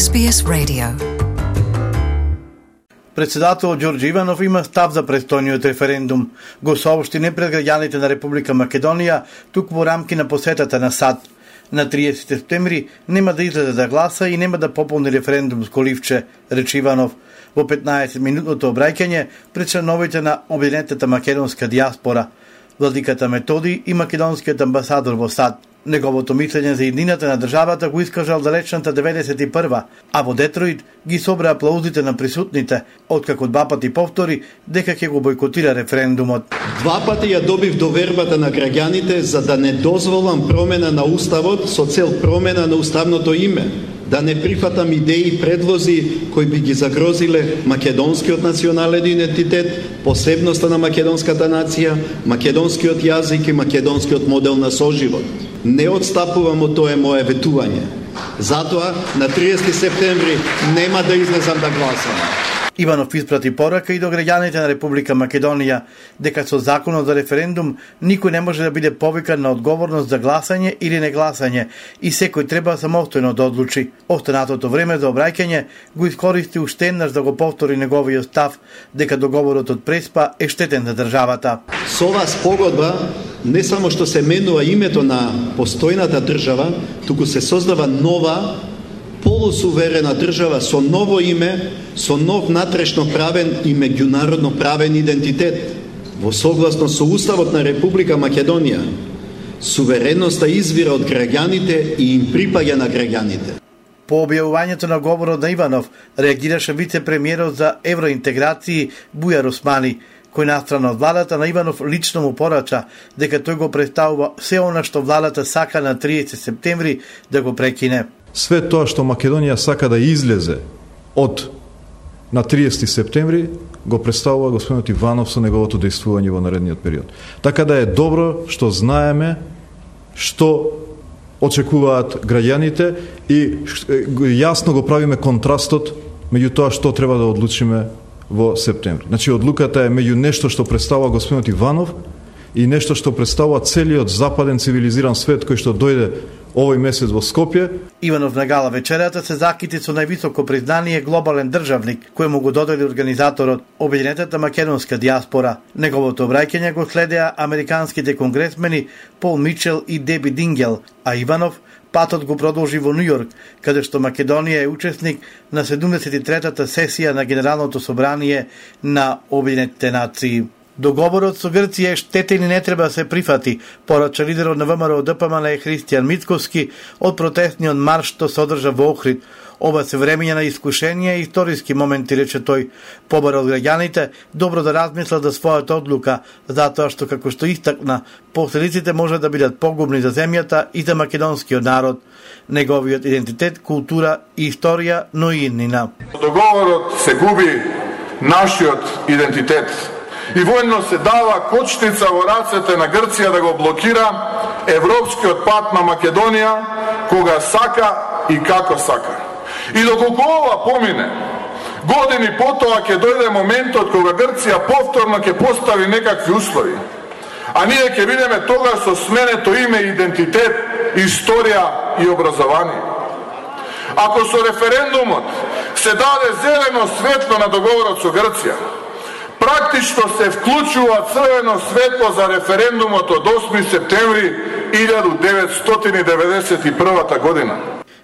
SBS Radio. Председател Ѓорѓе Иванов има став за престојниот референдум. Го соопшти не пред граѓаните на Република Македонија, туку во рамки на посетата на САД. На 30 септември нема да излезе да гласа и нема да пополни референдумско ливче, рече Иванов. Во 15-минутното обраќање пред членовите на Обединетата македонска диаспора, владиката Методи и македонскиот амбасадор во САД. Неговото мислење за еднината на државата го искажал далечната 91-а, а во Детройт ги собра аплаузите на присутните, откако два пати повтори дека ќе го бойкотира референдумот. Два пати ја добив довербата на граѓаните за да не дозволам промена на уставот со цел промена на уставното име, да не прифатам идеи и предлози кои би ги загрозиле македонскиот национален идентитет, посебноста на македонската нација, македонскиот јазик и македонскиот модел на соживот. Не отстапувам од тоа мое ветување. Затоа, на 30 септември нема да излезам да гласам. Иванов испрати порака и до граѓаните на Република Македонија дека со законот за референдум никој не може да биде повикан на одговорност за гласање или негласање и секој треба самостојно да одлучи. Останатото време за обраќање го искористи уште еднаш да го повтори неговиот став дека договорот од Преспа е штетен за државата. Со оваа спогодба не само што се менува името на постојната држава, туку се создава нова полусуверена држава со ново име, со нов натрешно правен и меѓународно правен идентитет. Во согласност со Уставот на Република Македонија, сувереноста извира од граѓаните и им припаѓа на граѓаните. По објавувањето на говорот на Иванов реагираше вице-премиерот за евроинтеграции Бујар Османи, кој настрана од владата на Иванов лично му порача дека тој го представува се она што владата сака на 30 септември да го прекине. Све тоа што Македонија сака да излезе од на 30 септември го представува господинот Иванов со неговото действување во наредниот период. Така да е добро што знаеме што очекуваат граѓаните и јасно го правиме контрастот меѓу тоа што треба да одлучиме во септември. Значи, одлуката е меѓу нешто што представува господинот Иванов и нешто што представува целиот западен цивилизиран свет кој што дојде овој месец во Скопје. Иванов на гала вечерата се закити со највисоко признание глобален државник, кој му го додели организаторот Обединетата македонска диаспора. Неговото обраќање го следеа американските конгресмени Пол Мичел и Деби Дингел, а Иванов патот го продолжи во Њујорк, каде што Македонија е учесник на 73-та сесија на Генералното собрание на Обединетите нации. Договорот со Грција е штетен и не треба да се прифати, порача лидерот на ВМРО ДПМН Христијан Мицкоски од протестниот марш што се одржа во Охрид. Ова се времења на искушенија и историски моменти, рече тој. Побара од граѓаните добро да размислат за својата одлука, затоа што, како што истакна, последиците може да бидат погубни за земјата и за македонскиот народ, неговиот идентитет, култура и историја, но и иднина. Договорот се губи нашиот идентитет и војно се дава кочница во рацете на Грција да го блокира европскиот пат на Македонија кога сака и како сака. И доколку ова помине, години потоа ќе дојде моментот кога Грција повторно ќе постави некакви услови, а ние ќе бидеме тогаш со сменето име, идентитет, историја и образование. Ако со референдумот се даде зелено светло на договорот со Грција, практично се вклучува црвено светло за референдумот од 8 септември 1991 година.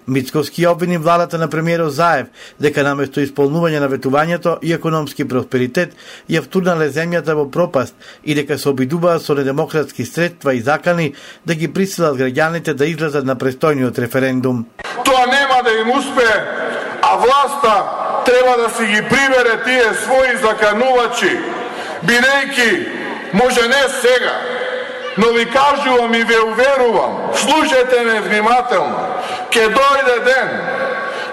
Мицкоски обвини владата на премиерот Заев дека наместо исполнување на ветувањето и економски просперитет ја втурнале земјата во пропаст и дека се обидуваат со недемократски средства и закани да ги присилат граѓаните да излезат на престојниот референдум. Тоа нема да им успее, а власта треба да си ги прибере тие своји заканувачи, бидејќи може не сега, но ви кажувам и ве уверувам, слушајте ме внимателно, ќе дојде ден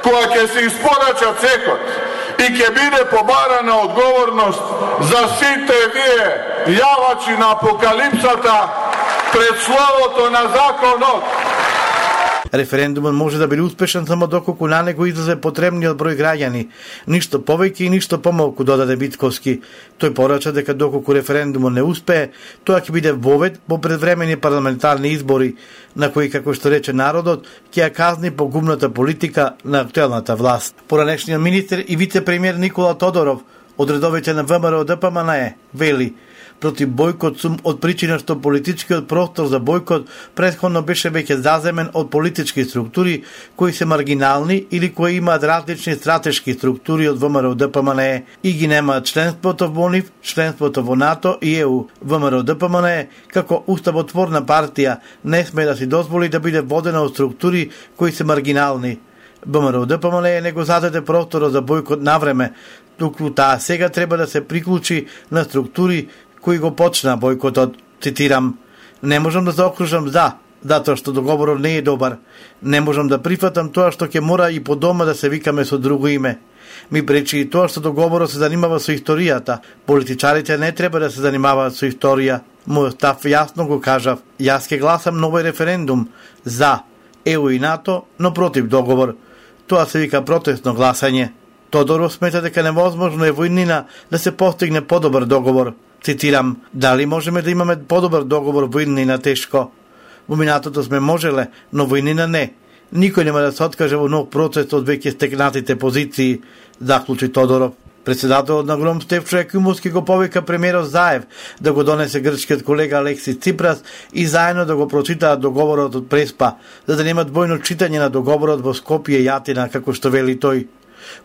кога ќе се испорача цехот и ќе биде побарана одговорност за сите вие јавачи на апокалипсата пред словото на законот. Референдумот може да биде успешен само доколку на него излезе потребниот број граѓани, ништо повеќе и ништо помалку, додаде Мицковски. Тој порача дека доколку референдумот не успее, тоа ќе биде вовед по предвремени парламентарни избори, на кои, како што рече народот, ќе ја казни погубната политика на актуелната власт. Поранешниот министер и вице-премиер Никола Тодоров од редовите на ВМРО ДПМНЕ вели: против бојкот сум од причина што политичкиот простор за бојкот претходно беше веќе заземен од политички структури кои се маргинални или кои имаат различни стратешки структури од ВМРО ДПМНЕ и ги немаат членството во НИФ, членството во НАТО и ЕУ. ВМРО ДПМНЕ како уставотворна партија не сме да си дозволи да биде водена од структури кои се маргинални. ВМРО ДПМНЕ не го зададе просторот за бојкот навреме, туку таа сега треба да се приклучи на структури кои го почна бојкотот. Цитирам: не можам да заокружам затоа што договорот не е добар. Не можам да прифатам тоа што ќе мора и по дома да се викаме со друго име. Ми пречи и тоа што договорот се занимава со историјата. Политичарите не треба да се занимаваат со историја. Мојот став јасно го кажав. Јас ќе гласам на овој референдум за ЕУ и НАТО, но против договор. Тоа се вика протестно гласање. Тодоров смета дека невозможно е во иднина да се постигне подобар договор. Цитирам: дали можеме да имаме подобар договор во иднина? Тешко. Во минатото сме можеле, но во иднина не. Никој нема да се откаже во нов процес од веќе стекнатите позиции, заклучи Тодоров. Председателот на ГРОМ Стефчо Јакимовски го повика премиерот Заев да го донесе грчкиот колега Алексис Ципрас и заедно да го прочитаат договорот од Преспа, за да немат двојно читање на договорот во Скопје и Атина, како што вели тој.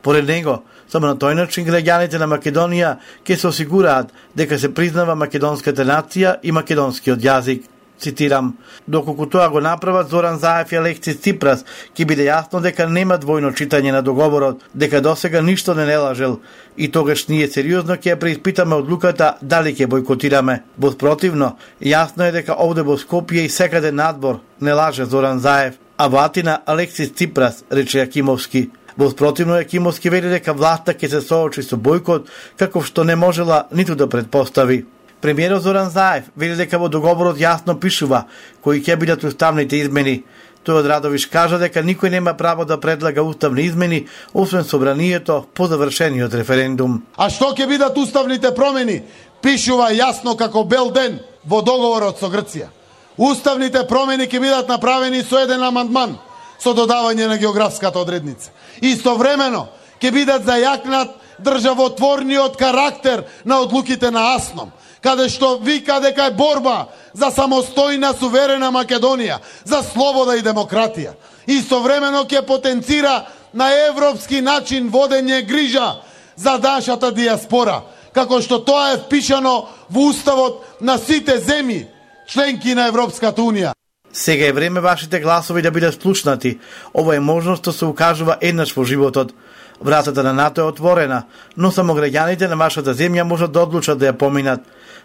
Поред него, само на тој начин граѓаните на Македонија ќе се осигураат дека се признава македонската нација и македонскиот јазик. Цитирам: доколку тоа го направат Зоран Заев и Алексис Ципрас, ќе биде јасно дека нема двојно читање на договорот, дека досега ништо не лажел и тогаш ние сериозно ќе ја преиспитаме одлуката дали ќе бојкотираме. Во спротивно, јасно е дека овде во Скопје и секаде надвор не лаже Зоран Заев, а во Атина Алексис Ципрас, рече Јакимовски. Во спротивно, Јакимовски вели дека власта ќе се соочи со бојкот, каков што не можела ниту да предпостави. Премиерот Зоран Заев вели дека во договорот јасно пишува кои ќе бидат уставните измени. Тој од Радовиш кажа дека никој нема право да предлага уставни измени, освен собранието по завршениот референдум. А што ќе бидат уставните промени? Пишува јасно како бел ден во договорот со Грција. Уставните промени ќе бидат направени со еден амандман, со додавање на географската одредница. Истовремено ќе бидат зајакнат државотворниот карактер на одлуките на АСНОМ, каде што вика дека е борба за самостојна суверена Македонија, за слобода и демократија. Истовремено ќе потенцира на европски начин водење грижа за нашата диаспора, како што тоа е впишано во уставот на сите земји, членки на Европската Унија. Сега е време вашите гласови да бидат слушнати. Ова е можност да се укажува еднаш во животот. Вратата на НАТО е отворена, но само граѓаните на вашата земја можат да одлучат да ја поминат.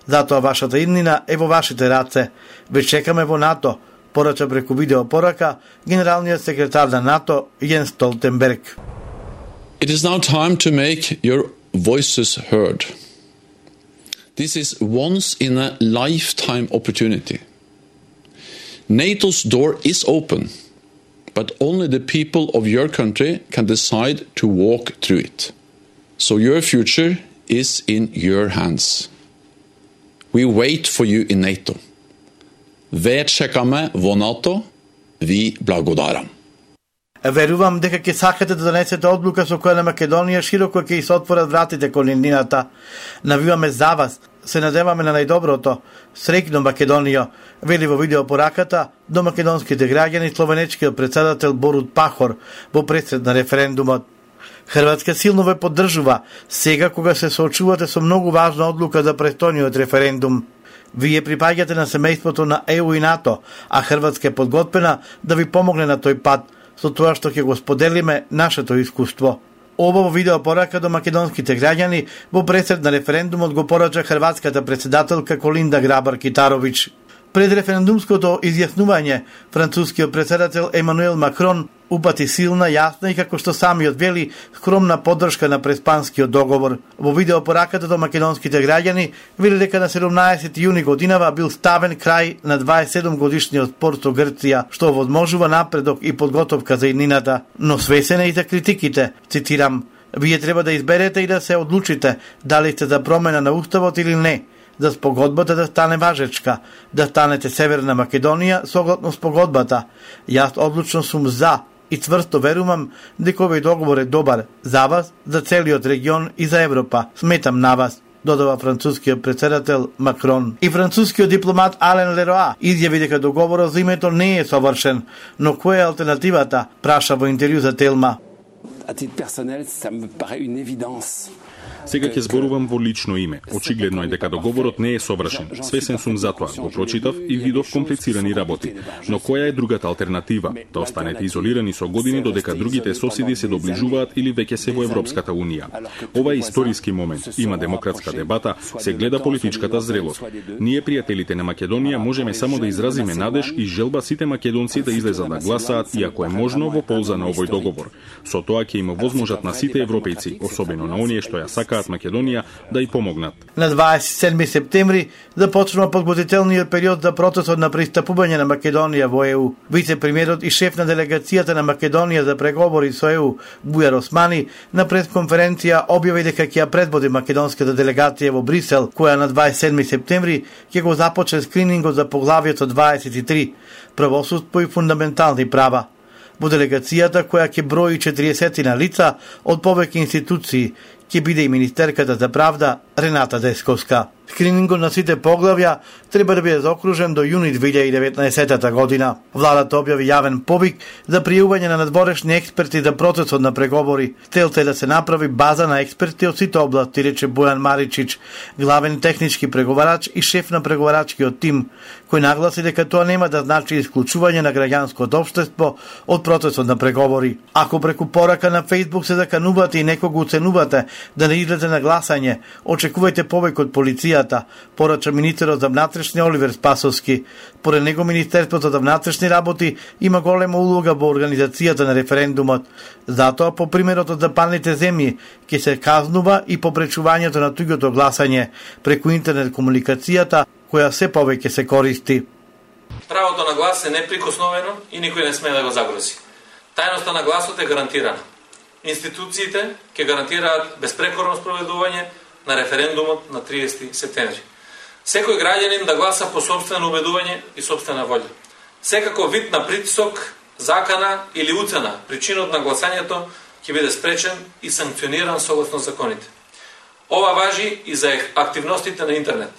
Затоа вашата иднина е во вашите раце. Ве чекаме во НАТО, порача преку видеопорака генералниот секретар на НАТО Јенс Столтенберг. It is now time to make your voices heard. This is once in a lifetime opportunity. NATO's door is open, but only the people of your country can decide to walk through it. So your future is in your hands. We wait for you in NATO. Ве чекаме во НАТО, ви благодарам. Верувам дека ќе сакате да донесете одлука со која на Македонија широко ќе се отворат вратите кон иднината. Навиваме за вас, се надеваме на најдоброто. Среќно Македонија, вели во видеопораката до македонските граѓани словенечкиот председател Борут Пахор во пресред на референдумот. Хрватска силно ве поддржува сега кога се соочувате со многу важна одлука за престојниот референдум. Вие припаѓате на семејството на ЕУ и НАТО, а Хрватска е подготвена да ви помогне на тој пат, со тоа што ќе го споделиме нашето искуство. Ова во видеопорака до македонските граѓани во пресред на референдумот го порача хрватската председателка Колинда Грабар-Китаровиќ. Пред референдумското изјаснување, францускиот председател Емануел Макрон упати силна, јасна и како што самиот вели, скромна поддршка на преспанскиот договор. Во видеопораката до македонските граѓани вели дека на 17 јуни годинава бил ставен крај на 27 годишниот спор со Грција, што овозможува напредок и подготовка за иднината, но свесен е и за критиките. Цитирам: "Вие треба да изберете и да се одлучите дали сте за промена на уставот или не, за спогодбата да стане важечка, да станете Северна Македонија согласно спогодбата. Јас одлучно сум за и цврсто верувам дека овој договор е добар за вас, за целиот регион и за Европа. Сметам на вас", додава францускиот председател Макрон. И францускиот дипломат Ален Лероа изјави дека договорот за името не е совршен, но која е алтернативата, праша во интервју за Телма. À titre personnel, ça me paraît une évidence. Сега ќе зборувам во лично име. Очигледно е дека договорот не е совршен. Свесен сум за тоа, го прочитав и видов комплицирани работи. Но која е другата алтернатива? Да останете изолирани со години додека другите соседи се доближуваат или веќе се во Европската Унија. Ова е историски момент. Има демократска дебата, се гледа политичката зрелост. Ние, пријателите на Македонија, можеме само да изразиме надеж и желба сите македонци да излезат да гласаат и ако е можно во полза на овој договор. Со тоа ќе има возможат на сите европејци, особено на оние што ја сакаат Македонија, да и помогнат. На 27 септември започнува подготвителниот период за процесот на пристапување на Македонија во ЕУ. Вице-премиерот и шеф на делегацијата на Македонија за преговори со ЕУ, Бујар Османи, на пресконференција објави дека ќе ја предводи македонската делегација во Брисел, која на 27 септември ќе го започне скринингот за поглавието 23 правосудство и фундаментални права. Во делегацијата, која ќе брои 40 на лица од повеќе институции, ќе биде и министерката за правда Рената Десковска. Скринингот на сите поглавја треба да биде заокружен до јуни 2019 година. Владата објави јавен повик за пријување на надворешни експерти за процесот на преговори. Целта е да се направи база на експерти од сите области, рече Бојан Маричич, главен технички преговарач и шеф на преговарачкиот тим, кој нагласи дека тоа нема да значи исклучување на граѓанското општество од процесот на преговори. Ако преку порака на Facebook се заканувате и некого уценувате да не излезе на гласање, очекувајте повеќе од полицијата, порача министерот за внатрешни Оливер Спасовски. Поред него Министерството за внатрешни работи има голема улога во организацијата на референдумот. Затоа, по примерот од западните земји, ќе се казнува и попречувањето на туѓото гласање преку интернет комуникацијата, која се повеќе се користи. Правото на глас е неприкосновено и никој не смее да го загрози. Тајноста на гласот е гарантирана. Институциите ќе гарантираат безпрекорно спроведување на референдумот на 30 септември. Секој граѓанин да гласа по сопствено убедување и сопствена волја. Секако вид на притисок, закана или уцена причинот на гласањето ќе биде спречен и санкциониран согласно законите. Ова важи и за активностите на интернет.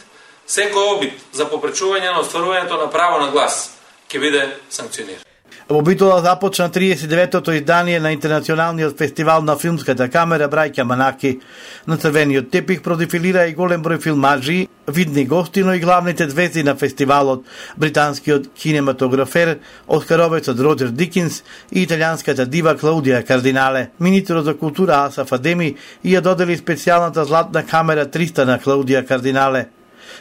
Секој обид за попречување на остварувањето на право на глас ќе биде санкциониран. Во Битола започна 39-тото издание на Интернационалниот фестивал на филмската камера Браќа Манаки. На црвениот тепих продефилира и голем број филмаджи, видни гости, но и главните звезди на фестивалот, британскиот кинематографер, оскаровецот Роджер Дикинс и италијанската дива Клаудија Кардинале. Министерот за култура Асаф Адеми ја додели специјалната златна камера 300 на Клаудија Кардинале.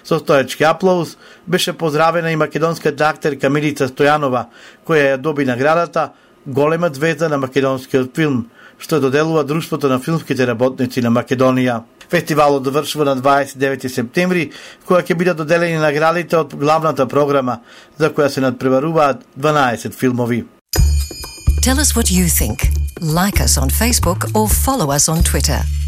Со стоечки аплауз беше поздравена и македонската актерка Милица Стојанова, која ја доби наградата голема звезда на македонскиот филм, што доделува Друштвото на филмските работници на Македонија. Фестивалот довршува на 29 септември, која ќе бидат доделени наградите од главната програма, за која се надпреваруваат 12 филмови. Tell us what you think. Like us on Facebook or follow us on Twitter.